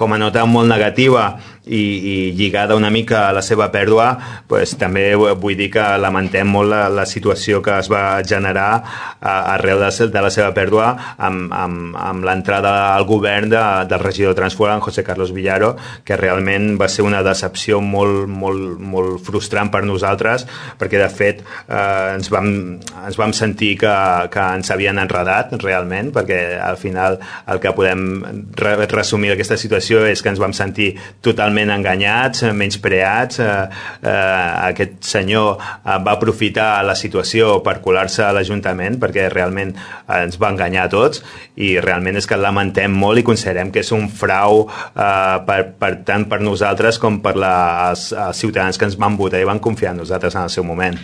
com a nota molt negativa i lligada una mica a la seva pèrdua, també vull dir que lamentem molt la situació que es va generar arrel de la seva pèrdua amb l'entrada al govern del regidor de Transport, en José Carlos Villaro, que realment va ser una decepció molt frustrant per nosaltres, perquè de fet ens vam sentir que ens havien enredat realment, perquè al final el que podem resumir d'aquesta situació és que ens vam sentir totalment enganyats, menyspreats. Aquest senyor va aprofitar la situació per colar-se a l'Ajuntament, perquè realment ens va enganyar a tots, i realment és que lamentem molt i considerem que és un frau tant per nosaltres com per els ciutadans que ens van votar i van confiar en nosaltres en el seu moment.